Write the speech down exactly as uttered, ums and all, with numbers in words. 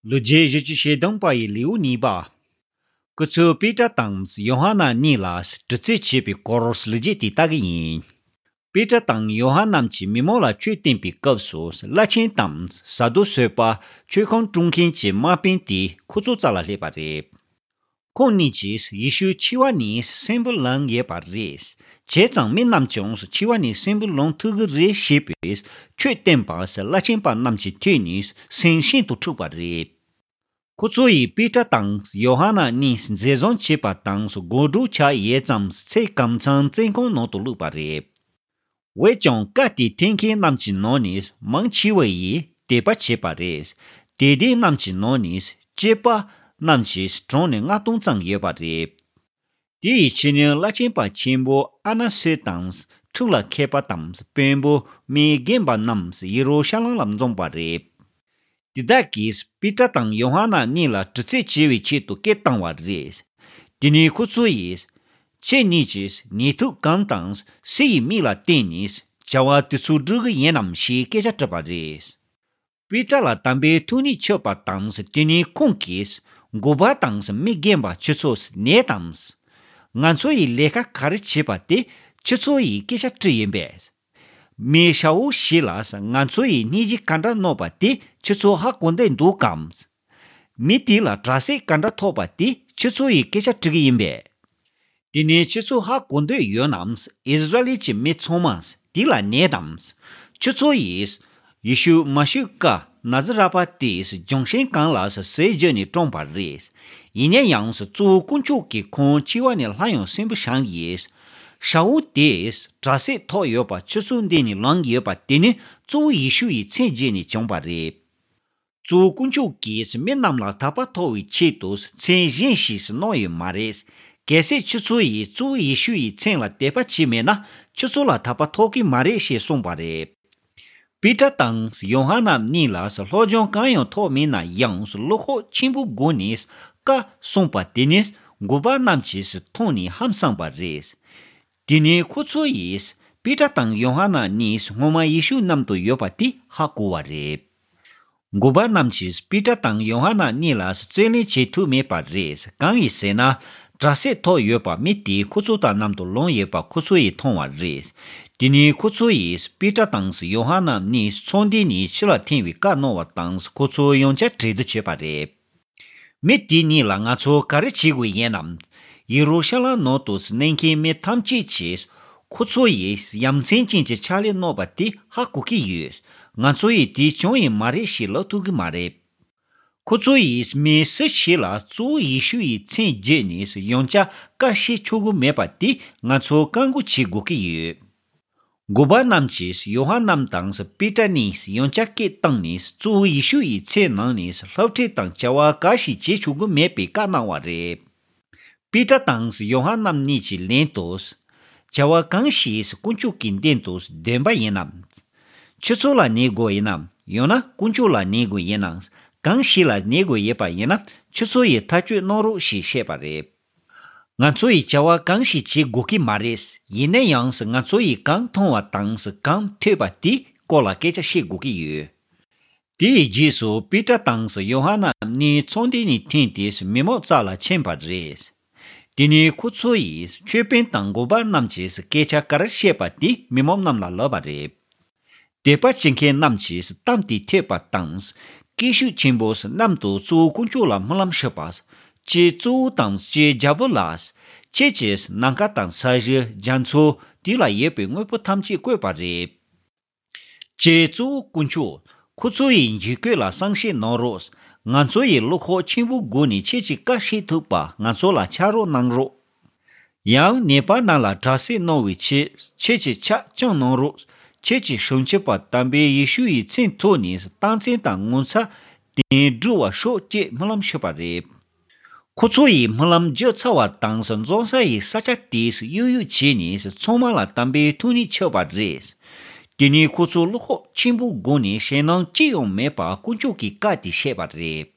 ལོ་རྒྱུས་བཞི་བཅུ་ཞེ་བདུན་པ་ཡི་ལེའུ་གཉིས་པ། སྐུ་ཚབ་པེ་ཏྲ་དང་ཡོ་ཧ་ནན་གཉིས་ལ་དྲི་རྩད་བྱས་པའི་སྐོར་ལོ་རྒྱུས་དེ་ལྟ་གི་ཡིན། པེ་ཏྲ་དང་ཡོ་ཧ་ནན་གྱིས་མི་མང་ལ་ཆོས་བསྟན་པའི་སྐབས་སུ། བླ་ཆེན་དང་ས་དུ་སེ་པ་ཆོས་ཁང་དཀྲུག་མཁན་གྱི་དམག་དཔོན་དེ་ཁོ་ཚོའི་རྩ་ལ་སླེབས་པ་རེད། ཁོང་གཉིས་ཀྱིས་ཡེ་ཤུ་འཆི་བ་ནས་གསོན་པོར་ལངས་ཡོད་པ་རེད། བྱས་ཙང་མི་རྣམས་ཀྱང་འཆི་བ་ནས་གསོན་པོར་ལངས་ཐུབ་ཀྱི་རེད་ཞེས་པའི་ཆོས་བསྟན་པ་བླ་ཆེན་པ་རྣམས་ཀྱི་ཐད་ནས་སེམས་ཤིན་ཏུ་འཁྲུགས་པ་རེད། ཁོ་ཚོ་ཡིས་པེ་ཏྲ་དང་ཡོ་ཧ་ནན་གཉིས་འཛིན་བཟུང་བྱས་པ་དང་། དགོང་དྲོ་ཆགས་ཡོད་ཙང་ཚེ་གམ་ཚང་བཙོན་ཁང་ནང་དུ་བླུགས་པ་རེད། འོན་ཀྱང་བཀའ་དེ་འཐེན་མཁན་རྣམས་ཀྱི་ནང་ནས་མང་ཆེ་བ་ཡིས་དད་པ་བྱས་པ་རེད། དད་ལྡན་རྣམས་ཀྱི་ནང་ནས་སྐྱེས་པ་རྣམས་ཀྱི་གྲངས་ནི་ལྔ་སྟོང་ཙམ་ཡོད་པ་རེད། དེ་ཡི་ཕྱི་ཉིན་བླ་ཆེན་པ་ཆེན་པོ་ཨ་ན་སེ་དང་ཁྲིམས་ལ་མཁས་པ་དང་དཔོན་པོ་མི་རྒན་པ་རྣམས་ཡེ་རུ་ཤ་ལམ་ལ་འཛོམས་པ་རེད། དེ་དག་གིས་པེ་ཏྲ་དང་ཡོ་ཧ་ནན་གཉིས་ལ་དྲི་རྩད་བྱེད་པའི་ཆེད་དུ་སྐད་བཏང་བ་རེད། དེ་ནས་ཁོ་ཚོ་ཡིས། ཁྱེད་གཉིས་ཀྱིས་ནུས་མཐུ་གང་དང་སུ་ཡི་མིང་ལ་བརྟེན་ནས་བྱ་བ་དེ་ཚོ་བསྒྲུབ་ཀྱི་ཡིན་ནམ་ཞེས་སྐད་ཆ་དྲིས་པ་རེད། པེ་ཏྲ་ལ་དམ་པའི་ཐུགས་ཉིད་མཆོད་པ་དང་། དེ་ནས་ཁོང་གིས་འགོ་པ་དང་མི་རྒན་པ་ཁྱེད་ཚོས་ནད་དང་། ང་ཚོ་ཡི་ལས་ཀ་ག་རེ་བྱས་པ་དེ་ཁྱེད་ཚོ་ཡིས་སྐད་ཆ་དྲིས་ཡིན་པས། མི་ཤ་བོ་ཞིག་ལ་ང་ཚོ་ཡི་སྙིང་རྗེ་ག་འདྲ་གནང་བ་དེ་ཁྱེད་ཚོ་ཧ་གོ་འདོད་འདུག་གམ། མི་དེ་ལ་དྲག་སྐྱེད་ག་འདྲ་ཐོབ་པ་དེ་ཁྱེད་ཚོ་ཡིས་སྐད་ཆ་དྲི་གི་ཡིན་པས། དེ་ནས་ཁྱེད་ཚོ་ཧ་གོ་འདོད་ཡོད་ན། ཨིསི་ར་ཨེལ་གྱི་མི་ཚང་མ་དེ་ལ་ནད་དང་། ཁྱེད་ཚོ་ཡིས་ཡེ་ཤུ་མ་ཤི་ཀ་ན་ཛི་ར་པ་དེས་ལྗོན་ཤིང་གང་ལ་ཟས་བརྗོད་ནས་བཀྲོངས་པ་རེད། ཡིན་ན་ཡང་གཙོ་བོ་དཀོན་མཆོག་གིས་ཁོང་འཆི་བ་ནས་སླར་ཡང་གསོན་པོ་བཞེངས་ཡོད། ཤ་བོ་དེས་དྲག་སྐྱེད་ཐོབ་ཡོད་པ་ཁྱེད་ཚོའི་མདུན་ནས་ལངས་ཡོད་པ་དེ་ནི་གཙོ་བོ་ཡེ་ཤུ་ཡི་མཚན་བརྗོད་ནས་བྱུང་བ་རེད། གཙོ་བོ་དཀོན་མཆོག་གིས་མི་རྣམས་ལ་དད་པ་ཐོབ་པའི་ཆེད་དུ་མཚན་གཞན་ཞིག་གནང་ཡོད་མ་རེད། གལ་སྲིད་ཁྱེད་ཚོ་ཡིས་གཙོ་བོ་ཡེ་ཤུ་ཡི་མཚན་ལ་དད་པ་བྱས་མེད་ན་ཁྱེད་ཚོ་ལ་དད་པ་ཐོབ་ཀྱི་མ་རེད་ཞེས་གསུངས་པ་རེད། པེ་ཏྲ་དང་ཡོ་ཧ་ནན་གཉིས་ལ་སློབ་སྦྱོང་གང་ཡང་ཐོབ་མེད་ན་ཡང་བློ་ཁོག་ཆེན་པོའི་སྒོ་ནས་བཀའ་གསུངས་པ་དེ་ནི་འགོ་པ་རྣམས་ཀྱིས་མཐོང་ནས་ཧང་སངས་པ་རེད། དེ་ནས་ཁོ་ཚོ་ཡིས་པེ་ཏྲ་དང་ཡོ་ཧ་ནན་གཉིས་སྔོན་མ་ཡེ་ཤུ་མཉམ་དུ་ཡོད་པ་དེ་ཧ་གོ་བ་རེད། འགོ་པ་རྣམས་ཀྱིས་པེ་ཏྲ་དང་ཡོ་ཧ་ནན་གཉིས་ལ་རྩོད་གླེང་བྱེད་ཐུབ་མེད་པ་རེད། གང་ཡིན་ཟེར་ན། དྲག་སྐྱེད་ཐོབ་ཡོད་པ་མི་དེ་ཁོ་ཚོ་དང་མཉམ་དུ་ལངས་ཡོད་པ་ཁོ་ཚོ་ཡིས་མཐོང་བ་རེད། དེ་ནས་ཁོ་ཚོ་ཡིས་པེ་ཏྲ་དང་ཡོ་ཧ་ནན་གཉིས་ཚོགས་འདུ་ནས་ཕྱི་ལ་འཐེན་པའི་བཀའ་གནང་བ་དང་ཁོ་ཚོ་ཡང་བསྐྱར་གྲོས་བསྡུར་བྱས་པ་རེད། མི་དེ་གཉིས་ལ་ང་ཚོ་ག་རེ་བྱེད་དགོས་ཡིན་ནམ། ཡེ་རུ་ཤ་ལམ་ནང་དུ་གནས་མཁན་མི་ཐམས་ཅད་ཀྱིས་ཁོ་ཚོ་ཡིས་ཡ་མཚན་ཅན་གྱི་ཕྱག་ལས་གནང་བ་དེ་ཧ་གོ་གི་ཡོད། ང་ཚོ་ཡིས་དེ་བྱུང་ཡི་མ་རེད་ཞེས་ལབ་ཐུབ་ཀྱི་མ་རེད། ཁོ་ཚོ་ཡིས་མི་སུ་ཞིག་ལ་གཙོ་བོ་ཡེ་ཤུ་ཡི་མཚན་བརྗོད་ནས་ཡང་བསྐྱར་བཀའ་བཤད་ཆོག་གི་མེད་པ་དེ་ང་ཚོ་བཀག་འགོག་བྱེད་དགོས་ཀྱི་ཡོད། འགོ་པ་རྣམས་ཀྱིས་ཡོ་ཧ་ནན་དང་པེ་ཏྲ་གཉིས་ཡང་བསྐྱར་སྐད་བཏང་ནས་གཙོ་བོ་ཡེ་ཤུ་ཡི་མཚན་ནང་ནས་སློབ་ཁྲིད་དང་བྱ་བ་གང་ཞིག་བྱེད་ཆོག་གི་མེད་པའི་བཀའ་གནང་བ་རེད། པེ་ཏྲ་དང་ཡོ་ཧ་ནན་གཉིས་ཀྱིས་ལན་དུ། བྱ་བ་གང་ཞིག་དཀོན་མཆོག་གི་མདུན་དུ་འདོན་པ་ཡིན་ནམ། ཁྱེད་ཚོ་ལ་ནི་དགོས་ཡིན་ནམ། ཡང་ན་དཀོན་མཆོག་ལ་ནི་དགོས་ཡིན་ནམ། གང་ཞིག་ལ་ནི་དགོས་ཡོད་པ་ཡིན་ན་ཁྱེད་ཚོ་ཡིས་ཐག་གཅོད་གནང་རོགས་ཞེས་བཤད་པ་རེད། ང་ཚོ་ཡིས་བྱ་བ་གང་ཞིག་བྱེད་དགོས་ཀྱི་མ་རེད། ཡིན་ན་ཡང་ང་ཚོ་ཡིས་གང་མཐོང་བ་དང་གང་ཐོས་པ་དེའི་སྐོར་ལ་སྐད་ཆ་བཤད་དགོས་ཀྱི་ཡོད། དེའི་རྗེས་སུ་པེ་ཏྲ་དང་ཡོ་ཧ་ནན་གཉིས་ཚོགས་འདུ་ནས་འཐེན་ཏེ་མི་མང་རྩ་ལ་ཕྱིན་པ་རེད། དེ་ནས་ཁོ་ཚོ་ཡིས་ཆོས་དཔོན་དང་འགོ་པ་རྣམས་ཀྱིས་སྐད་ཆ་ག་རེ་བཤད་པ་དེ་མི་མང་རྣམས་ལ་ལབ་པ་རེད། དད་པ་བྱེད་མཁན་རྣམས་ཀྱིས་གཏམ་དེ་ཐོས་པ་དང་། སྐད་ཤུགས་ཆེན་པོས་གནམ་དུ་གཙོ་བོ་དཀོན་མཆོག་ལ་སྨོན་ལམ་ཞུས་པ། ཀྱེ་གཙོ་བོ་དང་ཀྱེ་རྒྱལ་པོ་ལགས། ཁྱེད་ཀྱིས་ནམ་མཁའ་དང་ས་གཞི་རྒྱ་མཚོ་དེ་ལ་ཡོད་པའི་དངོས་པོ་ཐམས་ཅད་བཀོད་པ་རེད། ཀྱེ་གཙོ་བོ་དཀོན་མཆོག་ཁོ་ཚོ་ཡི་འཇིགས་སྐུལ་ལ་བསམ་ཤེས་གནང་རོགས། ང་ཚོ་ཡི་བློ་ཁོག་ཆེན་པོའི་སྒོ་ནས་ཁྱེད་ཀྱི་བཀའ་བཤད་ཐུབ་པ་ང་ཚོ་ལ་ཕྱག་རོགས་གནང་རོགས། ཡང་ནད་པ་རྣམས་ལ་དྲག་སྐྱེད་གནང་བའི་ཆེད་ཁྱེད་ཀྱི་ཕྱག་བརྐྱངས་གནང་རོགས། ཁྱེད་ཀྱི་བྱང་ཆུབ་པ་དམ་པའི་ཡེ་ཤུ་ཡི་མཚན་ཐོག་ནས་རྟགས་མཚན་དང་ངོ་མཚར་དེ་འགྲུབ་པར་ཤོག་ཅེས་སྨོན་ལམ་ཞུས་པ་རེད། ཁོ་ཚོ་ཡིས་སྨོན་ལམ་བརྗོད་ཚར་བ་དང་འཛོམས་ས་ཡི་ས་ཆ་དེ་གཡུག་གཡུག་བྱས་ནས་ཚང་མ་ལ་དམ་པའི་ཐུགས་ཉིད་ཆགས་པ་རེད། དེ་ནས་ཁོ་ཚོ་བློ་ཁོག་ཆེན་པོའི་སྒོ་ནས་ཞེད་སྣང་ཅི་ཡང་མེད་པར་དཀོན་མཆོག་གི་བཀའ་དེ་བཤད་པ་རེད།